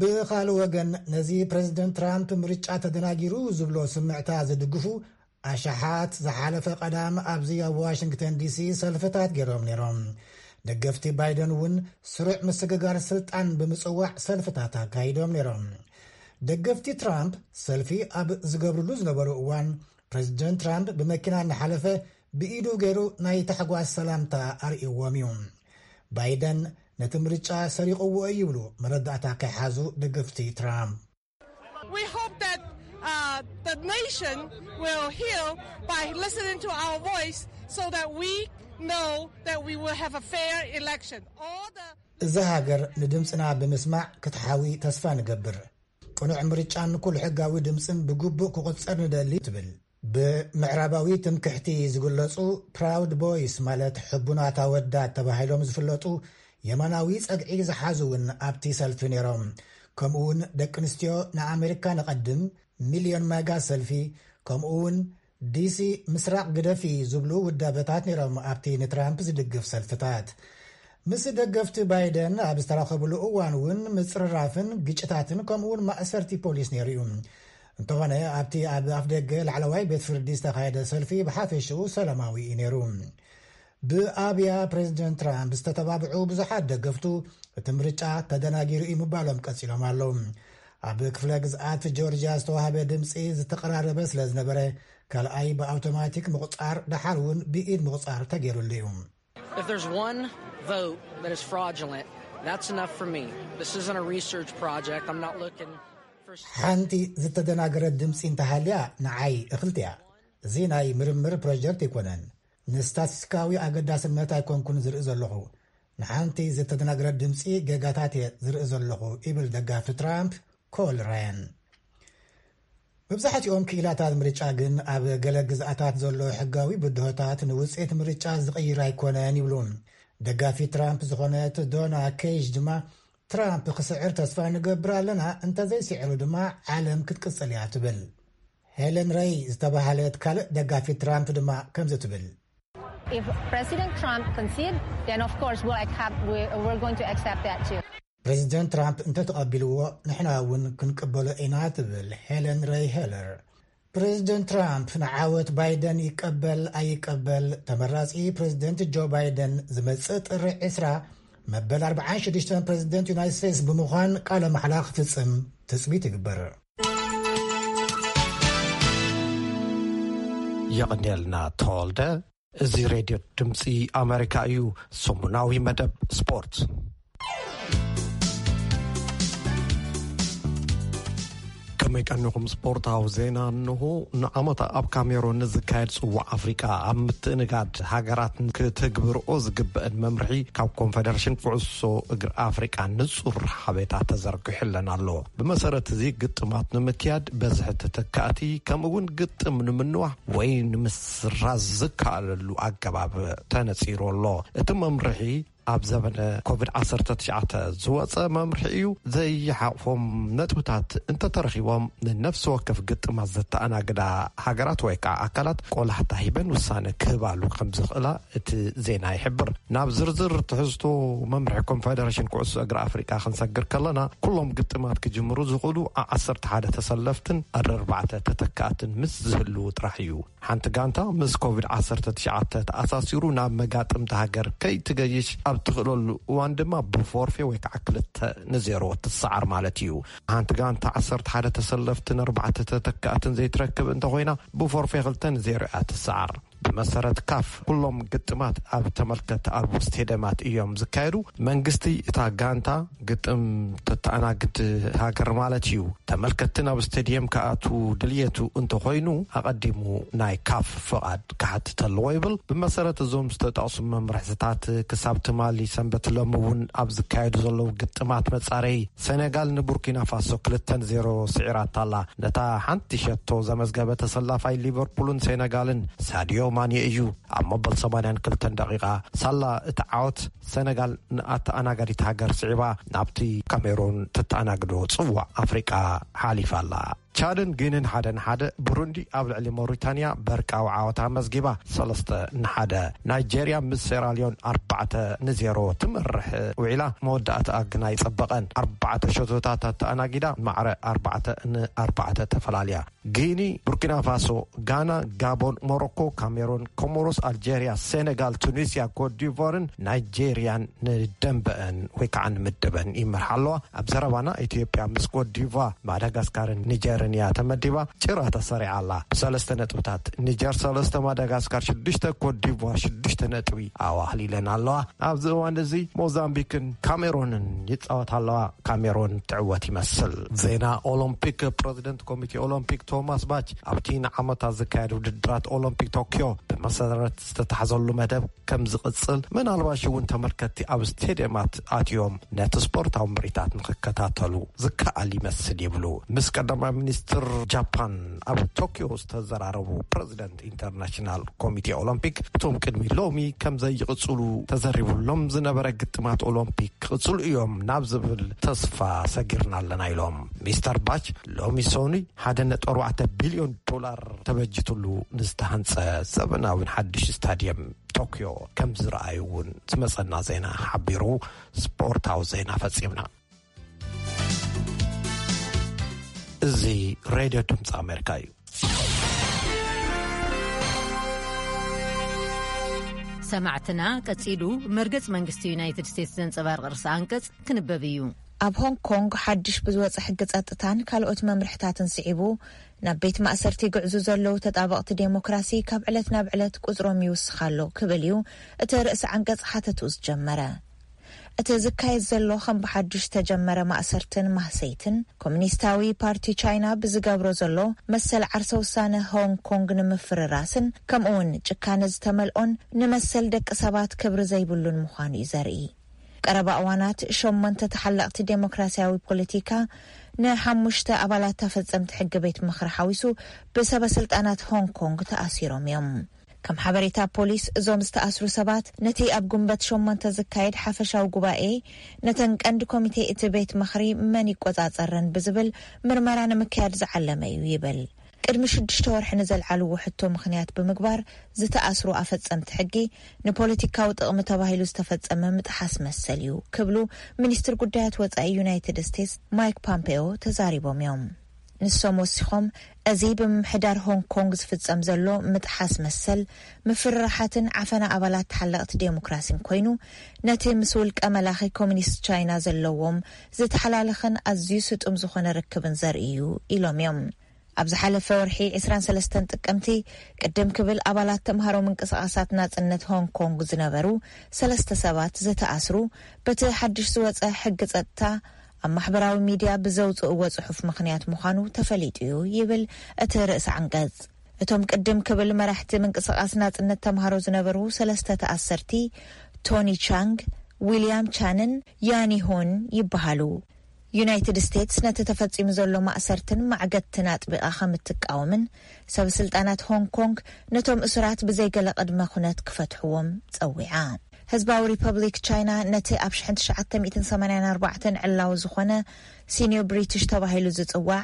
ብኻልእ ወገን ነዚ ፕሬዚደንት ትራምፕ ምርጫ ተደናጊሩ ዝብሎ ስምዕታ ዝድግፉ ኣሽሓት ዝሓለፈ ቀዳም ኣብዚ ኣብ ዋሽንግተን ዲሲ ሰልፍታት ገይሮም ነይሮም። ደገፍቲ ባይደን እውን ስሩዕ ምስግጋር ስልጣን ብምጽዋዕ ሰልፍታት ኣካይዶም ነይሮም። ደገፍቲ ትራምፕ ሰልፊ ኣብ ዝገብርሉ ዝነበሩ እዋን ፕሬዚደንት ትራምፕ ብመኪና እናሓለፈ ብኢዱ ገይሩ ናይ ታሕጓስ ሰላምታ ኣርእይዎም እዩ። ባይደን ነቲ ምርጫ ሰሪቕዎ እዩ ይብሉ መረዳእታ ከይሓዙ ደገፍቲ ትራምፕ። We hope that uh, the nation will heal by listening to our voice so that we know that we will have a fair election. All the እዛ ሃገር ንድምፅና ብምስማዕ ክትሓዊ ተስፋ ንገብር። ቅኑዕ ምርጫን ኩሉ ሕጋዊ ድምፅን ብግቡእ ክቑፀር ንደሊ ትብል። ብምዕራባዊ ትምክሕቲ ዝግለፁ ፕራውድ ቦይስ ማለት ሕቡናት ኣወዳት ተባሂሎም ዝፍለጡ የማናዊ ጸግዒ ዝሓዙ እውን ኣብቲ ሰልፊ ነይሮም። ከምኡ እውን ደቂ ኣንስትዮ ንኣሜሪካ ንቐድም፣ ሚልዮን ማጋ ሰልፊ፣ ከምኡ እውን ዲሲ ምስራቕ ግደፊ ዝብሉ ውዳበታት ነይሮም ኣብቲ ንትራምፕ ዝድግፍ ሰልፍታት። ምስ ደገፍቲ ባይደን ኣብ ዝተራኸብሉ እዋን እውን ምጽርራፍን ግጭታትን ከምኡ እውን ማእሰርቲ ፖሊስ ነይሩ እዩ። እንተኾነ ኣብቲ ኣብ ኣፍደገ ላዕለዋይ ቤት ፍርዲ ዝተኻየደ ሰልፊ ብሓፈሽኡ ሰላማዊ እዩ ነይሩ። ብኣብያ ፕሬዚደንት ትራምፕ ዝተተባብዑ ብዙሓት ደገፍቱ እቲ ምርጫ ተደናጊሩ እዩ ምባሎም ቀጺሎም ኣለዉ። ኣብ ክፍለ ግዝኣት ጆርጅያ ዝተዋህበ ድምፂ ዝተቐራረበ ስለ ዝነበረ ካልኣይ ብኣውቶማቲክ ምቑፃር ደሓር እውን ብኢድ ምቑፃር ተገይሩሉ እዩ። If there's one vote that is fraudulent, that's enough for me. This isn't a research project. I'm not looking for ሓንቲ ዝተደናገረት ድምፂ እንተሃልያ ንዓይ እኽልቲ እያ። እዚ ናይ ምርምር ፕሮጀክት ኣይኮነን። ንስታቲስቲካዊ ኣገዳስነት ኣይኮንኩን ዝርኢ ዘለኹ። ንሓንቲ ዝተደናገረት ድምፂ ጌጋታት እየ ዝርኢ ዘለኹ ይብል ደጋፊ ትራምፕ ኮል ራያን። መብዛሕትኦም ክኢላታት ምርጫ ግን ኣብ ገለ ግዝኣታት ዘሎ ሕጋዊ ብድሆታት ንውፅኢት ምርጫ ዝቕይር ኣይኮነን ይብሉ። ደጋፊ ትራምፕ ዝኾነት ዶና ኬጅ ድማ ትራምፕ ክስዕር ተስፋ ንገብር ኣለና፣ እንተዘይስዒሩ ድማ ዓለም ክትቅፅል እያ ትብል። ሄለን ረይ ዝተባሃለት ካልእ ደጋፊት ትራምፕ ድማ ከምዚ ትብል። If President Trump concede, then of course we'll accept, we, we're going to accept that too. ፕሬዚደንት ትራምፕ እንተተቐቢልዎ ንሕና እውን ክንቅበሎ ኢና ትብል ሄለን ረይ ሄለር። ፕሬዚደንት ትራምፕ ንዓወት ባይደን ይቀበል ኣይቀበል ተመራፂ ፕሬዚደንት ጆ ባይደን ዝመፅእ ጥሪ ዕስራ መበል ኣርብዓን ሽዱሽተን ፕሬዚደንት ዩናይትድ ስቴትስ ብምዃን ቃለ ማሕላ ክፍፅም ትፅቢት ይግበር። የቐንየልና ተወልደ። እዚ ሬድዮ ድምፂ ኣሜሪካ እዩ። ሰሙናዊ መደብ ስፖርት። ከመይ ቀኒኹም? ስፖርታዊ ዜና እንሆ። ንዓመታ ኣብ ካሜሮን ንዝካየድ ጽዋዕ ኣፍሪቃ ኣብ ምትእንጋድ ሃገራት ክትግብርኦ ዝግበአን መምርሒ ካብ ኮንፌደሬሽን ኩዕሶ እግሪ ኣፍሪቃ ንጹር ሓቤታ ተዘርጊሑለን ኣሎ። ብመሰረት እዚ ግጥማት ንምክያድ በዝሒ ተተካእቲ ከምኡ እውን ግጥም ንምንዋሕ ወይ ንምስራዝ ዝከኣለሉ ኣገባብ ተነጺሩ ኣሎ። እቲ መምርሒ ኣብ ዘበነ ኮቪድ ዓሰርተ ትሽዓተ ዝወጸ መምርሒ እዩ። ዘይሓቕፎም ነጥብታት እንተተረኺቦም፣ ንነፍሲ ወከፍ ግጥማት ዘተኣናግዳ ሃገራት ወይ ከዓ ኣካላት ቆላሕታ ሂበን ውሳነ ክህባሉ ከም ዝኽእላ እቲ ዜና ይሕብር። ናብ ዝርዝር ትሕዝቶ መምርሒ ኮንፌደሬሽን ኩዕሶ እግሪ ኣፍሪቃ ክንሰግር ከለና፣ ኩሎም ግጥማት ክጅምሩ ዝኽእሉ ዓ-፣ ዓሰርተ ሓደ ተሰለፍትን ኣርባዕተ ተተካእትን ምስ ዝህልዉ ጥራሕ እዩ። ሓንቲ ጋንታ ምስ ኮቪድ ዓሰርተ ትሽዓተ ተኣሳሲሩ ናብ መጋጥምቲ ሃገር ከይትገይሽ ኣብ ትኽእለሉ እዋን ድማ ብፎርፌ ወይ ከዓ ክልተ ንዜሮ ትሰዓር ማለት እዩ። ሓንቲ ጋንታ ዓሰርተ ሓደ ተሰለፍትን ኣርባዕተ ተተካእትን ዘይትረክብ እንተኾይና፣ ብፎርፌ ክልተ ንዜሮ እያ ትሰዓር። ብመሰረት ካፍ፣ ኩሎም ግጥማት ኣብ ተመልከት ኣብ ስቴደማት እዮም ዝካየዱ። መንግስቲ እታ ጋንታ ግጥም ተተኣናግድ ሃገር ማለት እዩ። ተመልከትቲ ናብ ስቴድየም ክኣቱ ድልየቱ እንተኾይኑ፣ ኣቐዲሙ ናይ ካፍ ፍቓድ ክሓትት ኣለዎ ይብል። ብመሰረት እዞም ዝተጠቕሱ መምርሕታት፣ ክሳብ ትማሊ ሰንበት ሎሚ እውን ኣብ ዝካየዱ ዘለዉ ግጥማት መጻረይ፣ ሴኔጋል ንቡርኪና ፋሶ ክልተ ንዜሮ ስዒራታ ኣላ። ነታ ሓንቲ ሸቶ ዘመዝገበ ተሰላፋይ ሊቨርፑልን ሴኔጋልን ሳዲዮ ማኔ እዩ። ኣብ መበል ሰማንያን ክልተን ደቂቓ ሳላ እቲ ዓወት፣ ሴኔጋል ንኣተኣናጋዲት ሃገር ስዒባ ናብቲ ካሜሩን ተተኣናግዶ ጽዋዕ ኣፍሪቃ ሓሊፋ ኣላ። ቻድን ጊኒን ሓደ ንሓደ፣ ብሩንዲ ኣብ ልዕሊ ሞሪታንያ በርቃዊ ዓወት ኣመዝጊባ፣ ሰለስተ ንሓደ። ናይጄርያ ምስ ሴራሊዮን ኣርባዕተ ንዜሮ ትመርሕ ውዒላ፣ መወዳእታኣ ግና ኣይጸበቐን። ኣርባዕተ ሸቶታት ኣተኣናጊዳ፣ ማዕረ ኣርባዕተ ንኣርባዕተ ተፈላልያ። ጊኒ፣ ቡርኪና ፋሶ፣ ጋና፣ ጋቦን፣ ሞሮኮ፣ ካሜሩን፣ ኮሞሮስ፣ ኣልጄርያ፣ ሴኔጋል፣ ቱኒስያ፣ ኮትዲቯርን ናይጄርያን ንደንበአን ወይ ከዓ ንምድበን ይመርሓ ኣለዋ። ኣብ ዘረባና፣ ኢትዮጵያ ምስ ኮትዲቯር፣ ማዳጋስካርን ኒጀርን እያ ተመዲባ። ጭራ ተሰሪዓ ኣላ። ብሰለስተ ነጥብታት፣ ኒጀር ሰለስተ፣ ማዳጋስካር ሽዱሽተ፣ ኮትዲቯር ሽዱሽተ ነጥቢ ኣዋህሊለን ኣለዋ። ኣብዚ እዋን እዚ ሞዛምቢክን ካሜሮንን ይጻወታ ኣለዋ። ካሜሮን ትዕወት ይመስል። ዜና ኦሎምፒክ። ፕረዚደንት ኮሚቴ ኦሎምፒክ ቶማስ ባች፣ ኣብቲ ንዓመታት ዝካየድ ውድድራት ኦሎምፒክ ቶክዮ ብመሰረት ዝተታሕዘሉ መደብ ከም ዝቕጽል፣ ምናልባሽ እውን ተመልከትቲ ኣብ ስቴድየማት ኣትዮም ነቲ ስፖርታዊ ምርኢታት ንኽከታተሉ ዝከኣል ይመስል ይብሉ። ምስ ቀዳማይ ሚኒስትር ጃፓን ኣብ ቶክዮ ዝተዘራረቡ ፕረዚደንት ኢንተርናሽናል ኮሚቴ ኦሎምፒክ፣ እቶም ቅድሚ ሎሚ ከም ዘይቕጽሉ ተዘሪቡሎም ዝነበረ ግጥማት ኦሎምፒክ ክቕጽሉ እዮም ናብ ዝብል ተስፋ ሰጊርና ኣለና ኢሎም። ሚስተር ባች፣ ሎሚ ሰኑይ ሓደ ነጥቢ ኣርባዕተ ቢልዮን ዶላር ተበጅትሉ ንዝተሃንጸ ዘበናዊን ሓድሽ ስታድየም ቶክዮ ከም ዝረኣዩ እውን ዝመጸና ዜና ሓቢሩ። ስፖርታዊ ዜና ፈጺምና። እዚ ሬድዮ ድምፂ ኣሜሪካ እዩ። ሰማዕትና፣ ቀጺሉ መርገጽ መንግስቲ ዩናይትድ ስቴትስ ዘንጸባርቕ ርእሰ ኣንቀጽ ክንበብ እዩ። ኣብ ሆንግ ኮንግ ሓድሽ ብዝወጸ ሕጊ ጸጥታን ካልኦት መምርሕታትን ስዒቡ፣ ናብ ቤት ማእሰርቲ ይግዕዙ ዘለዉ ተጣበቕቲ ዴሞክራሲ ካብ ዕለት ናብ ዕለት ቁጽሮም ይውስኽ ኣሎ ክብል እዩ እቲ ርእሰ ዓንቀጽ ሓተትኡ ዝጀመረ። እቲ ዝካየድ ዘሎ ከም ብሓድሽ ዝተጀመረ ማእሰርትን ማህሰይትን፣ ኮሙኒስታዊ ፓርቲ ቻይና ብዝገብሮ ዘሎ መሰል ዓርሰ ውሳነ ሆንግ ኮንግ ንምፍርራስን፣ ከምኡውን ጭካነ ዝተመልኦን ንመሰል ደቂ ሰባት ክብሪ ዘይብሉን ምዃኑ እዩ ዘርኢ። ቀረባ እዋናት ሸሞንተ ተሓለቕቲ ዴሞክራሲያዊ ፖለቲካ ንሓሙሽተ ኣባላት ተፈጸምቲ ሕጊ ቤት ምኽሪ ሓዊሱ ብሰበ ስልጣናት ሆንግ ኮንግ ተኣሲሮም እዮም። ከም ሓበሬታ ፖሊስ፣ እዞም ዝተኣስሩ ሰባት ነቲ ኣብ ጉንበት ሸሞንተ ዝካየድ ሓፈሻዊ ጉባኤ ነተን ቀንዲ ኮሚቴ እቲ ቤት ምኽሪ መን ይቆጻጸረን ብዝብል ምርመራ ንምክያድ ዝዓለመ እዩ ይብል። ቅድሚ ሽዱሽተ ወርሒ ንዘልዓልዎ ሕቶ ምኽንያት ብምግባር፣ ዝተኣስሩ ኣፈጸምቲ ሕጊ ንፖለቲካዊ ጥቕሚ ተባሂሉ ዝተፈጸመ ምጥሓስ መሰል እዩ ክብሉ ሚኒስትር ጉዳያት ወጻኢ ዩናይትድ ስቴትስ ማይክ ፖምፔዮ ተዛሪቦም እዮም። ንሶም ወሲኾም፣ እዚ ብምምሕዳር ሆንግ ኮንግ ዝፍጸም ዘሎ ምጥሓስ መሰል፣ ምፍርራሓትን ዓፈና ኣባላት ተሓለቕቲ ዴሞክራሲን ኮይኑ፣ ነቲ ምስ ውልቀ መላኺ ኮሙኒስት ቻይና ዘለዎም ዝተሓላለኸን ኣዝዩ ስጡም ዝኾነ ርክብን ዘርኢ እዩ ኢሎም እዮም። ኣብ ዝሓለፈ ወርሒ ዕስራን ሰለስተን ጥቅምቲ፣ ቅድም ክብል ኣባላት ተምሃሮ ምንቅስቓሳት ናጽነት ሆንግ ኮንግ ዝነበሩ ሰለስተ ሰባት ዝተኣስሩ፣ በቲ ሓድሽ ዝወጸ ሕጊ ጸጥታ ኣብ ማሕበራዊ ሚድያ ብዘውጽእዎ ጽሑፍ ምኽንያት ምዃኑ ተፈሊጡ እዩ ይብል እቲ ርእሰ ዓንቀጽ። እቶም ቅድም ክብል መራሕቲ ምንቅስቓስ ናጽነት ተምሃሮ ዝነበሩ ሰለስተ ተኣሰርቲ፣ ቶኒ ቻንግ፣ ዊልያም ቻንን ያኒ ሆን ይበሃሉ። ዩናይትድ ስቴትስ ነቲ ተፈጺሙ ዘሎ ማእሰርትን ማዕገትትን ኣጥቢቓ ከም እትቃወምን፣ ሰብ ስልጣናት ሆንግ ኮንግ ነቶም እሱራት ብዘይገለ ቅድመ ኩነት ክፈትሕዎም ጸዊዓ። ህዝባዊ ሪፐብሊክ ቻይና ነቲ ኣብ ሽሕን ትሽዓተ ሚእትን ሰማንያን ኣርባዕተን ዕላዊ ዝኾነ ሲኒዮ ብሪቲሽ ተባሂሉ ዝጽዋዕ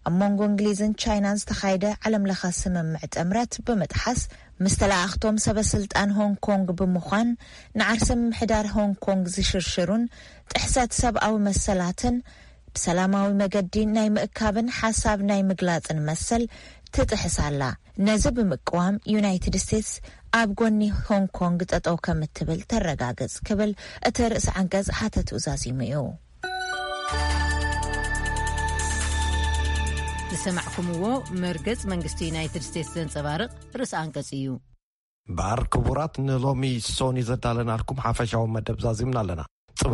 ኣብ መንጎ እንግሊዝን ቻይናን ዝተኻየደ ዓለምለኸ ስምምዕ ጥምረት ብምጥሓስ፣ ምስ ተለኣኽቶም ሰበ ስልጣን ሆንግ ኮንግ ብምዃን ንዓርሰ ምምሕዳር ሆንግ ኮንግ ዝሽርሽሩን ጥሕሰት ሰብኣዊ መሰላትን ብሰላማዊ መገዲ ናይ ምእካብን ሓሳብ ናይ ምግላጽን መሰል ትጥሕስ ኣላ። ነዚ ብምቅዋም ዩናይትድ ስቴትስ ኣብ ጎኒ ሆንግ ኮንግ ጠጠው ከም እትብል ተረጋግጽ ክብል እቲ ርእሲ ዓንቀጽ ሓተትኡ ዛዚሙ እዩ። ዝሰማዕኩምዎ መርገጽ መንግስቲ ዩናይትድ ስቴትስ ዘንጸባርቕ ርእሲ ኣንቀጽ እዩ። ባር ክቡራት፣ ንሎሚ ሶኒ ዘዳለናልኩም ሓፈሻዊ መደብ ዛዚምና ኣለና።